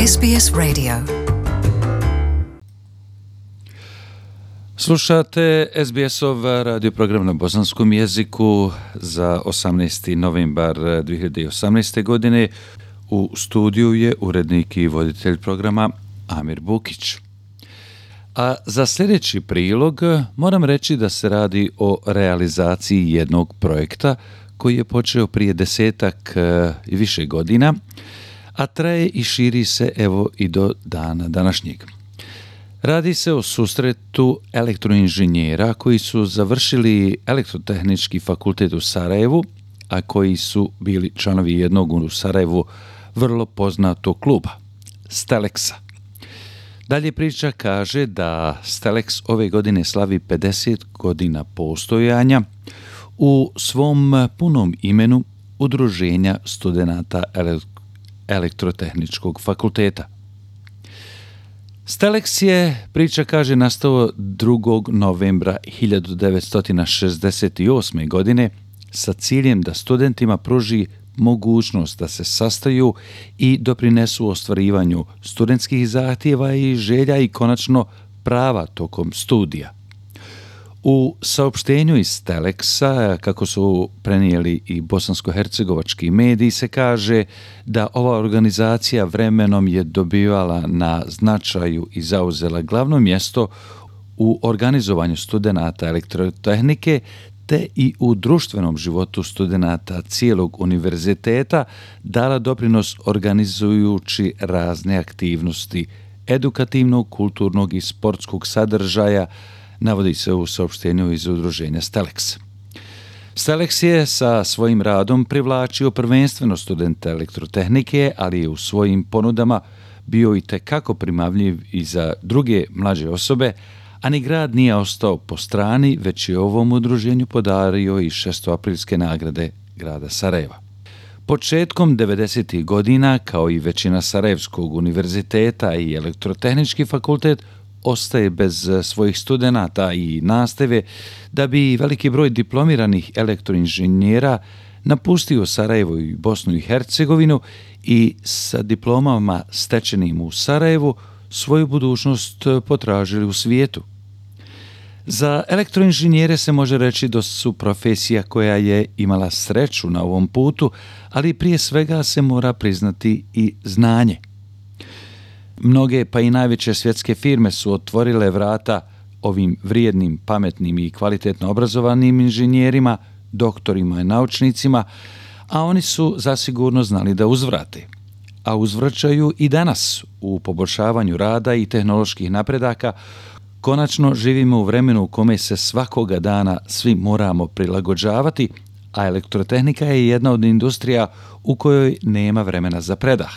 SBS Radio. Slušate SBS-ov radio program na bosanskom jeziku za 18. novembar 2018. godine. U studiju je urednik i voditelj programa Amir Bukić. A za sljedeći prilog moram reći da se radi o realizaciji jednog projekta koji je počeo prije 10 i više godina, a traje i širi se evo i do dana današnjeg. Radi se o susretu elektroinženjera koji su završili Elektrotehnički fakultet u Sarajevu, a koji su bili članovi jednog u Sarajevu vrlo poznatog kluba, Steleksa. Dalje priča kaže da Steleks ove godine slavi 50 godina postojanja u svom punom imenu Udruženja studenata Elektrotehničkog fakulteta. Steleks je, priča kaže, nastao 2. novembra 1968. godine sa ciljem da studentima pruži mogućnost da se sastaju i doprinesu ostvarivanju studentskih zahtjeva i želja i konačno prava tokom studija. U saopštenju iz Steleksa, kako su prenijeli i bosansko-hercegovački mediji, se kaže da ova organizacija vremenom je dobivala na značaju i zauzela glavno mjesto u organizovanju studenata elektrotehnike te i u društvenom životu studenata cijelog univerziteta dala doprinos organizujući razne aktivnosti edukativnog, kulturnog i sportskog sadržaja, navodi se u saopštenju iz udruženja Steleks. Steleks je sa svojim radom privlačio prvenstveno studente elektrotehnike, ali je u svojim ponudama bio i tekako primamljiv i za druge mlađe osobe, a ni grad nije ostao po strani, već je ovom udruženju podario i 6. nagrade grada Sarajeva. Početkom 90. godina, kao i većina Sarajevskog univerziteta i Elektrotehnički fakultet, ostaje bez svojih studenata i nastave, da bi veliki broj diplomiranih elektroinženjera napustio Sarajevo i Bosnu i Hercegovinu i sa diplomama stečenim u Sarajevu svoju budućnost potražili u svijetu. Za elektroinženjere se može reći da su profesija koja je imala sreću na ovom putu, ali prije svega se mora priznati i znanje. Mnoge pa i najveće svjetske firme su otvorile vrata ovim vrijednim, pametnim i kvalitetno obrazovanim inženjerima, doktorima i naučnicima, a oni su zasigurno znali da uzvrate. A uzvraćaju i danas u poboljšavanju rada i tehnoloških napredaka. Konačno živimo u vremenu u kome se svakoga dana svi moramo prilagođavati, a elektrotehnika je jedna od industrija u kojoj nema vremena za predah.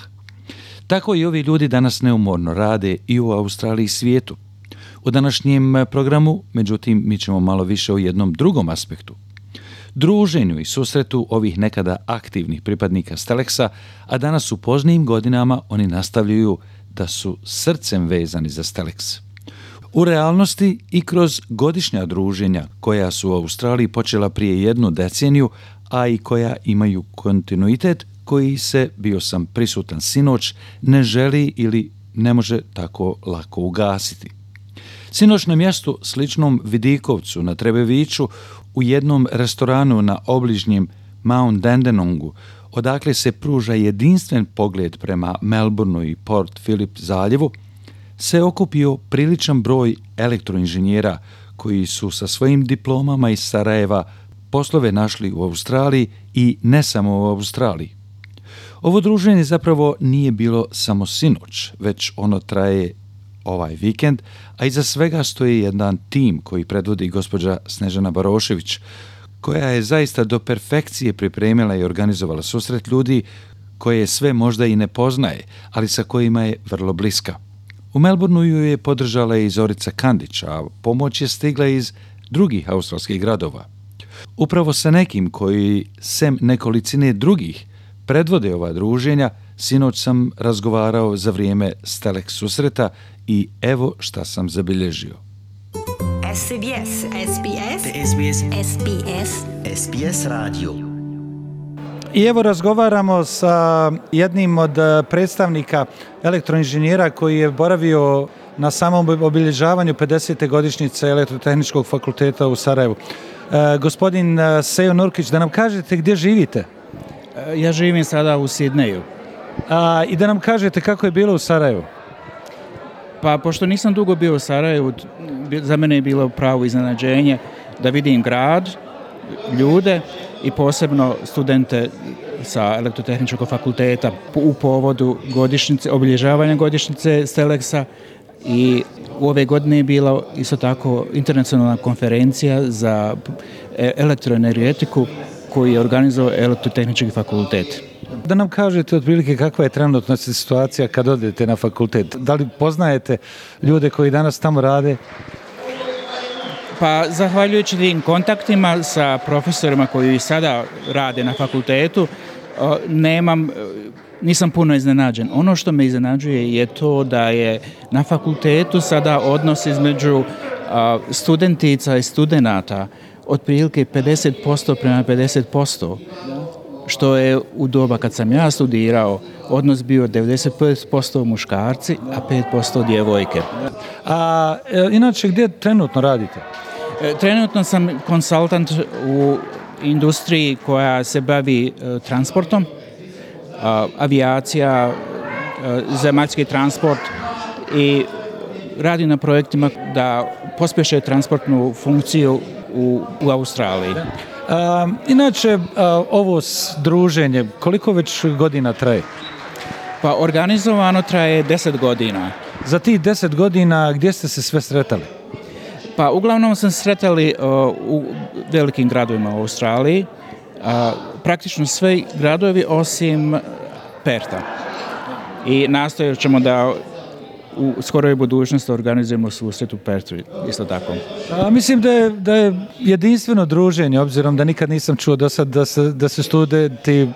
Tako i ovi ljudi danas neumorno rade i u Australiji i svijetu. U današnjem programu, međutim, mi ćemo malo više o jednom drugom aspektu. Druženju i susretu ovih nekada aktivnih pripadnika Steleksa, a danas u poznijim godinama oni nastavljaju da su srcem vezani za Steleks. U realnosti i kroz godišnja druženja koja su u Australiji počela prije 1 deceniju, a i koja imaju kontinuitet koji se, bio sam prisutan sinoć, ne želi ili ne može tako lako ugasiti. Sinoć na mjestu sličnom Vidikovcu na Trebeviću u jednom restoranu na obližnjem Mount Dandenongu, odakle se pruža jedinstven pogled prema Melbourneu i Port Phillip zaljevu, se okupio priličan broj elektroinženjera koji su sa svojim diplomama iz Sarajeva poslove našli u Australiji i ne samo u Australiji. Ovo druženje zapravo nije bilo samo sinoć, već ono traje ovaj vikend, a iza svega stoji jedan tim koji predvodi gospođa Snežana Barošević, koja je zaista do perfekcije pripremila i organizovala susret ljudi koje sve možda i ne poznaje, ali sa kojima je vrlo bliska. U Melbourneu ju je podržala i Zorica Kandić, a pomoć je stigla iz drugih australskih gradova. Upravo sa nekim koji, sem nekolicine drugih, predvode ova druženja, sinoć sam razgovarao za vrijeme Steleks susreta i evo šta sam zabilježio. SBS SBS SBS SBS SBS Radio. I evo razgovaramo sa jednim od predstavnika elektroinženjera koji je boravio na samom obilježavanju 50. godišnjice Elektrotehničkog fakulteta u Sarajevu. Gospodin Sejo Nurkić, da nam kažete gdje živite? Ja živim sada u Sidneju. I da nam kažete kako je bilo u Sarajevu? Pa pošto nisam dugo bio u Sarajevu, za mene je bilo pravo iznenađenje da vidim grad, ljude i posebno studente sa Elektrotehničkog fakulteta u povodu godišnjice, obilježavanja godišnjice Steleksa. I u ove godine je bila isto tako internacionalna konferencija za elektroenergetiku koju je organizovao Elektrotehnički fakultet. Da nam kažete otprilike kakva je trenutna situacija kad odete na fakultet? Da li poznajete ljude koji danas tamo rade? Pa zahvaljujući tim kontaktima sa profesorima koji sada rade na fakultetu, nisam puno iznenađen. Ono što me iznenađuje je to da je na fakultetu sada odnos između studentica i studenata otprilike 50% prema 50%, što je u doba kad sam ja studirao odnos bio 95% muškarci, a 5% djevojke. Inače, gdje trenutno radite? Trenutno sam konsultant u industriji koja se bavi transportom, avijacija, zemaljski transport i radi na projektima da pospješe transportnu funkciju u Australiji. Inače, ovo druženje, koliko već godina traje? Pa organizovano traje 10 godina. Za tih 10 godina gdje ste se sve sretali? Pa uglavnom sam sretali u velikim gradovima u Australiji, praktično sve gradovi osim Perta. I nastojat ćemo da u skoroj budućnosti organizujemo susret u Pertu, isto tako. Mislim da je jedinstveno druženje, obzirom da nikad nisam čuo do sad da se studenti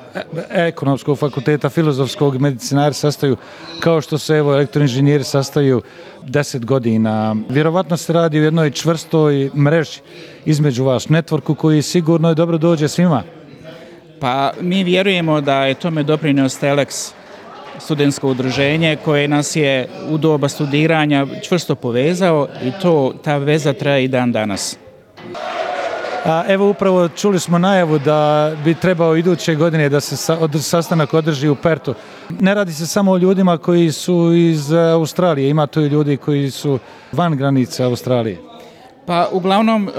ekonomskog fakulteta, filozofskog, medicinari sastaju kao što se elektroinženjeri sastaju 10 godina. Vjerovatno se radi u jednoj čvrstoj mreži između vas, networku koji sigurno je dobro dođe svima. Pa mi vjerujemo da je tome doprinio Steleks, studentsko udruženje koje nas je u doba studiranja čvrsto povezao i ta veza traje i dan danas. Evo upravo čuli smo najavu da bi trebao iduće godine da se sastanak održi u Pertu. Ne radi se samo o ljudima koji su iz Australije, ima tu i ljudi koji su van granice Australije. Pa uglavnom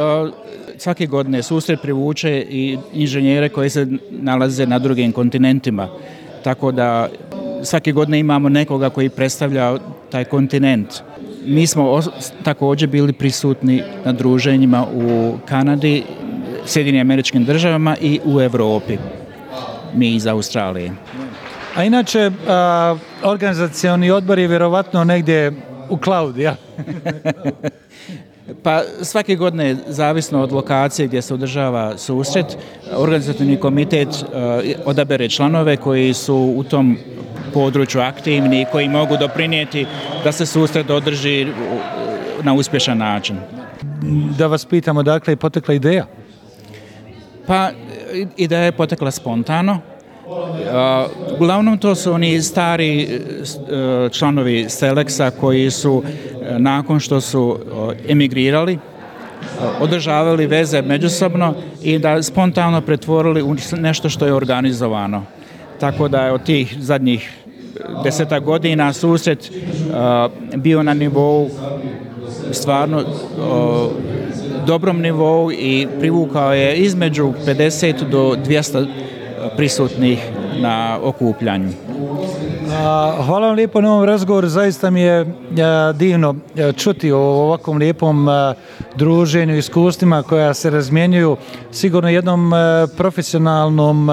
svake godine susret privuče i inženjere koji se nalaze na drugim kontinentima, tako da svake godine imamo nekoga koji predstavlja taj kontinent. Mi smo također bili prisutni na druženjima u Kanadi, Sjedinjenim Američkim Državama i u Europi, mi iz Australije. A inače, organizacioni odbor je vjerovatno negdje u cloudu, ja? Pa svake godine, zavisno od lokacije gdje se održava susret, organizativni komitet odabere članove koji su u tom području aktivni i koji mogu doprinijeti da se susret održi na uspješan način. Da vas pitamo, dakle, je potekla ideja? Pa ideja je potekla spontano. Uglavnom to su oni stari članovi Steleksa koji su nakon što su emigrirali održavali veze međusobno i da spontano pretvorili u nešto što je organizovano. Tako da je od tih zadnjih 10 godina susret bio na nivou stvarno dobrom nivou i privukao je između 50 do 200 prisutnih na okupljanju. Hvala vam lijepo na ovom razgovoru, zaista mi je divno čuti o ovakvom lijepom druženju, iskustvima koja se razmjenjuju, sigurno jednom profesionalnom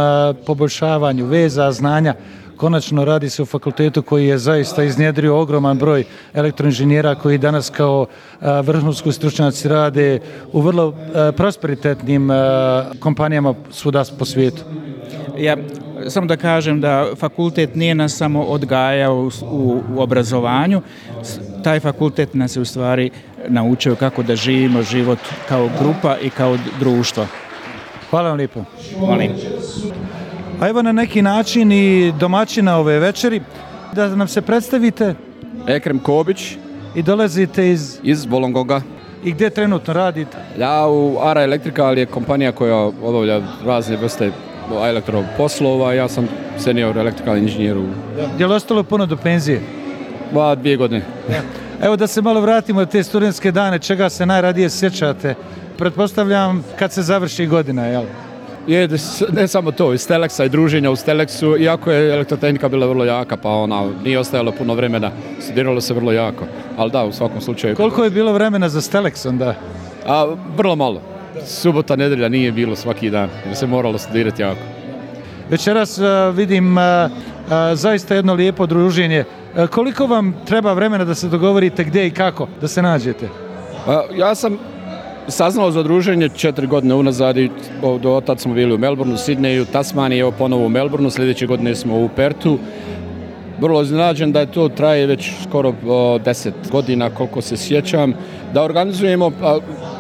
poboljšavanju veza, znanja. Konačno radi se o fakultetu koji je zaista iznjedrio ogroman broj elektroinženjera koji danas kao vrhunski stručnjaci rade u vrlo prosperitetnim kompanijama svuda po svijetu. Ja samo da kažem da fakultet nije nas samo odgajao u obrazovanju, taj fakultet nas je u stvari naučio kako da živimo život kao grupa i kao društvo. Hvala vam lijepo. Molim. A evo na neki način i domaćina ove večeri, da nam se predstavite. Ekrem Kobić. I dolazite iz Volongoga. I gdje trenutno radite? Ja u ARA Electrical je kompanija koja obavlja razne vrste elektroposlova. Ja sam senior electrical inženjer. Je li ostalo puno do penzije? 2 godine. Evo da se malo vratimo na te studentske dane, čega se najradije sjećate? Pretpostavljam kad se završi godina, jel? Ne samo to, iz Teleksa i druženja u Teleksu, iako je elektrotehnika bila vrlo jaka, pa nije ostajalo puno vremena, studiralo se vrlo jako, ali da, u svakom slučaju. Koliko je bilo vremena za Teleks onda? Vrlo malo. Subota, nedelja nije bilo svaki dan, jer se moralo studirati jako. Večeras vidim zaista jedno lijepo druženje. Koliko vam treba vremena da se dogovorite gdje i kako da se nađete? Ja sam saznao za druženje 4 godine unazad i do tad smo bili u Melbourneu, Sidneju, Tasmaniji, evo ponovo u Melbourneu, sljedeće godine smo u Pertu. Vrlo iznenađen da je to traje već skoro 10 godina koliko se sjećam. Da organizujemo,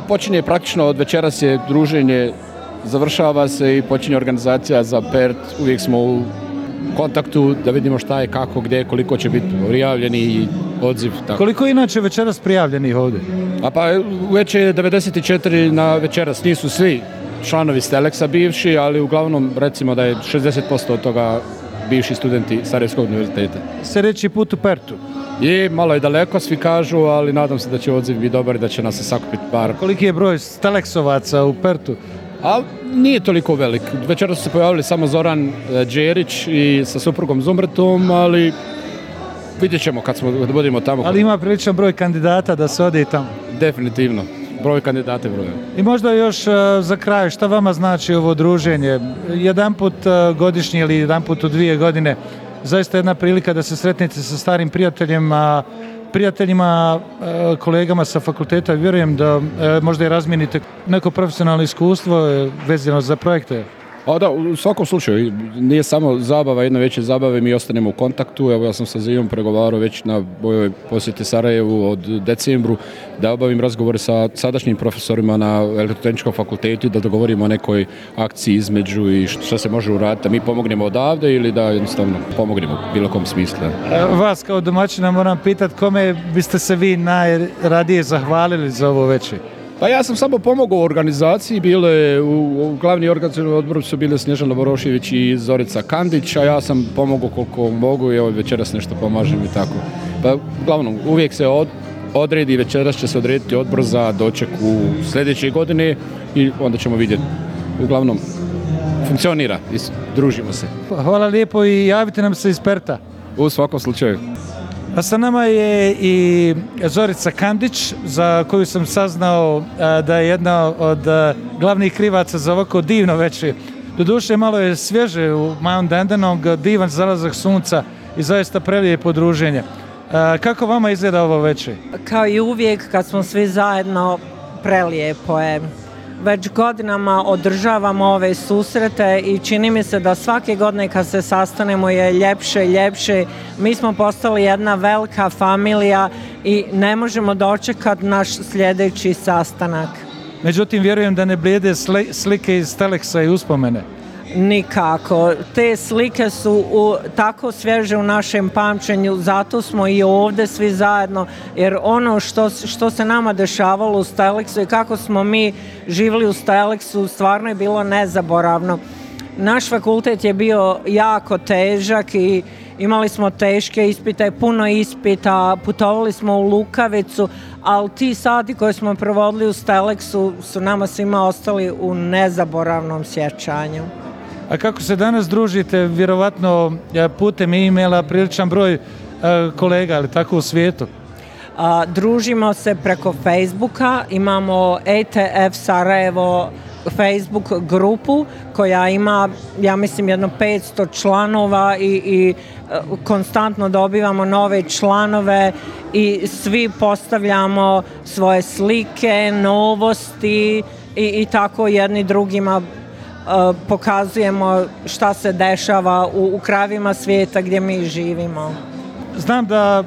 počinje praktično od večeras je druženje, završava se i počinje organizacija za Pert, uvijek smo u kontaktu da vidimo šta je, kako, gdje, koliko će biti prijavljeni i odziv. Tako. Koliko je inače večeras prijavljenih ovdje? Već je 94 na večeras, nisu svi članovi Teleksa bivši, ali uglavnom recimo da je 60% od toga bivši studenti Sarajevskog univerziteta. Sljedeći put u Pertu? Malo je daleko, svi kažu, ali nadam se da će odziv biti dobar i da će nas se sakupiti par. Koliki je broj Teleksovaca u Pertu? Nije toliko velik. Večera su se pojavili samo Zoran Đerić i sa suprugom Zumretom, ali vidjet ćemo kad budemo tamo. Ali ima priličan broj kandidata da se ode i tamo? Definitivno. Broj kandidata je broj. I možda još za kraj, šta vama znači ovo druženje? Jedanput godišnje ili jedanput u 2 godine, zaista jedna prilika da se sretnete sa starim prijateljima, kolegama sa fakulteta. Vjerujem da možda i razmijenite neko profesionalno iskustvo vezano za projekte. Da, u svakom slučaju, nije samo zabava, jedna veća zabava, mi ostanemo u kontaktu. Evo, ja sam sa Zijom pregovarao već na bojoj posjeti Sarajevu od decembru da obavim razgovore sa sadašnjim profesorima na elektrotehničkom fakultetu, da dogovorimo o nekoj akciji između i što se može uraditi, da mi pomognemo odavde ili da jednostavno pomognemo u bilo kom smislu. Vas kao domaćina moram pitati kome biste se vi najradije zahvalili za ovo večer? Ja sam samo pomogao u organizaciji, u glavni organizacijni odbor su bile Snježana Borošević i Zorica Kandić, a ja sam pomogao koliko mogu i večeras nešto pomažem i tako. Uglavnom, uvijek se odredi, večeras će se odrediti odbor za doček u sljedeće godine i onda ćemo vidjeti. Uglavnom, funkcionira i družimo se. Hvala lijepo i javite nam se iz Perta. U svakom slučaju. A sa nama je i Zorica Kandić, za koju sam saznao da je jedna od glavnih krivaca za ovako divno večer. Doduše malo je svježe u Mount Dandenong, divan zalazak sunca i zaista prelijepo druženje. Kako vama izgleda ovo večer? Kao i uvijek kad smo svi zajedno, prelijepo je. Već godinama održavamo ove susrete i čini mi se da svake godine kad se sastanemo je ljepše i ljepše. Mi smo postali jedna velika familija i ne možemo dočekati naš sljedeći sastanak. Međutim, vjerujem da ne blijede slike iz Teleksa i uspomene. Nikako. Te slike su tako svježe u našem pamćenju, zato smo i ovdje svi zajedno, jer ono što se nama dešavalo u Teleksu i kako smo mi živjeli u Teleksu stvarno je bilo nezaboravno. Naš fakultet je bio jako težak i imali smo teške ispite, puno ispita, putovali smo u Lukavicu, ali ti sati koje smo provodili u Teleksu su nama svima ostali u nezaboravnom sjećanju. A kako se danas družite, vjerovatno putem e-maila, priličan broj kolega, ali tako u svijetu? Družimo se preko Facebooka, imamo ETF Sarajevo Facebook grupu koja ima, ja mislim, jedno 500 članova i konstantno dobivamo nove članove i svi postavljamo svoje slike, novosti i tako jedni drugima pokazujemo šta se dešava u krajevima svijeta gdje mi živimo. Znam da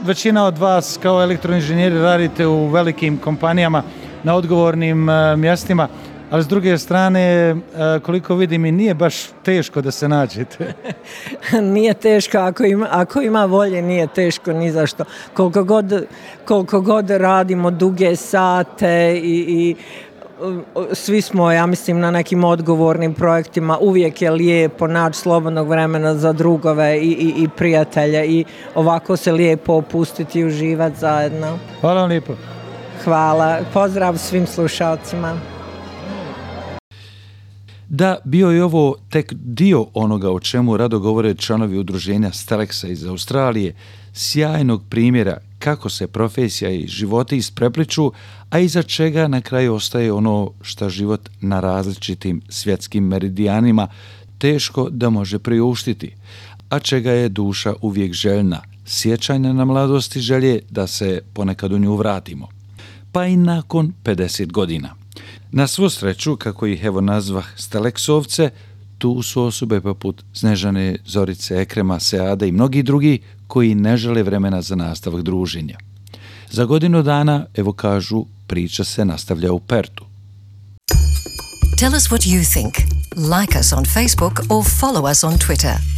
većina od vas kao elektroinženjeri radite u velikim kompanijama na odgovornim mjestima. ali s druge strane, koliko vidim, i nije baš teško da se nađete. Nije teško, ako ima volje, nije teško ni zašto. Koliko god radimo duge sate i svi smo, ja mislim, na nekim odgovornim projektima, uvijek je lijepo naći slobodnog vremena za drugove i prijatelje i ovako se lijepo opustiti i uživati zajedno. Hvala vam lijepo. Hvala. Pozdrav svim slušalcima. Da, bio je ovo tek dio onoga o čemu rado govore članovi udruženja Stelexa iz Australije, sjajnog primjera kako se profesija i životi isprepliču, a iza čega na kraju ostaje ono što život na različitim svjetskim meridijanima teško da može priuštiti, a čega je duša uvijek željna, sjećanja na mladosti, želje da se ponekad u nju vratimo. Pa i nakon 50 godina. Na svu sreću, kako ih evo nazvah Stelexovce, tu su osobe poput Snežane, Zorice, Ekrema, Seada i mnogi drugi koji ne žele vremena za nastavak druženja. Za godinu dana, evo kažu, priča se nastavlja u Pertu. Tell us what you think. Like us on Facebook or follow us on Twitter.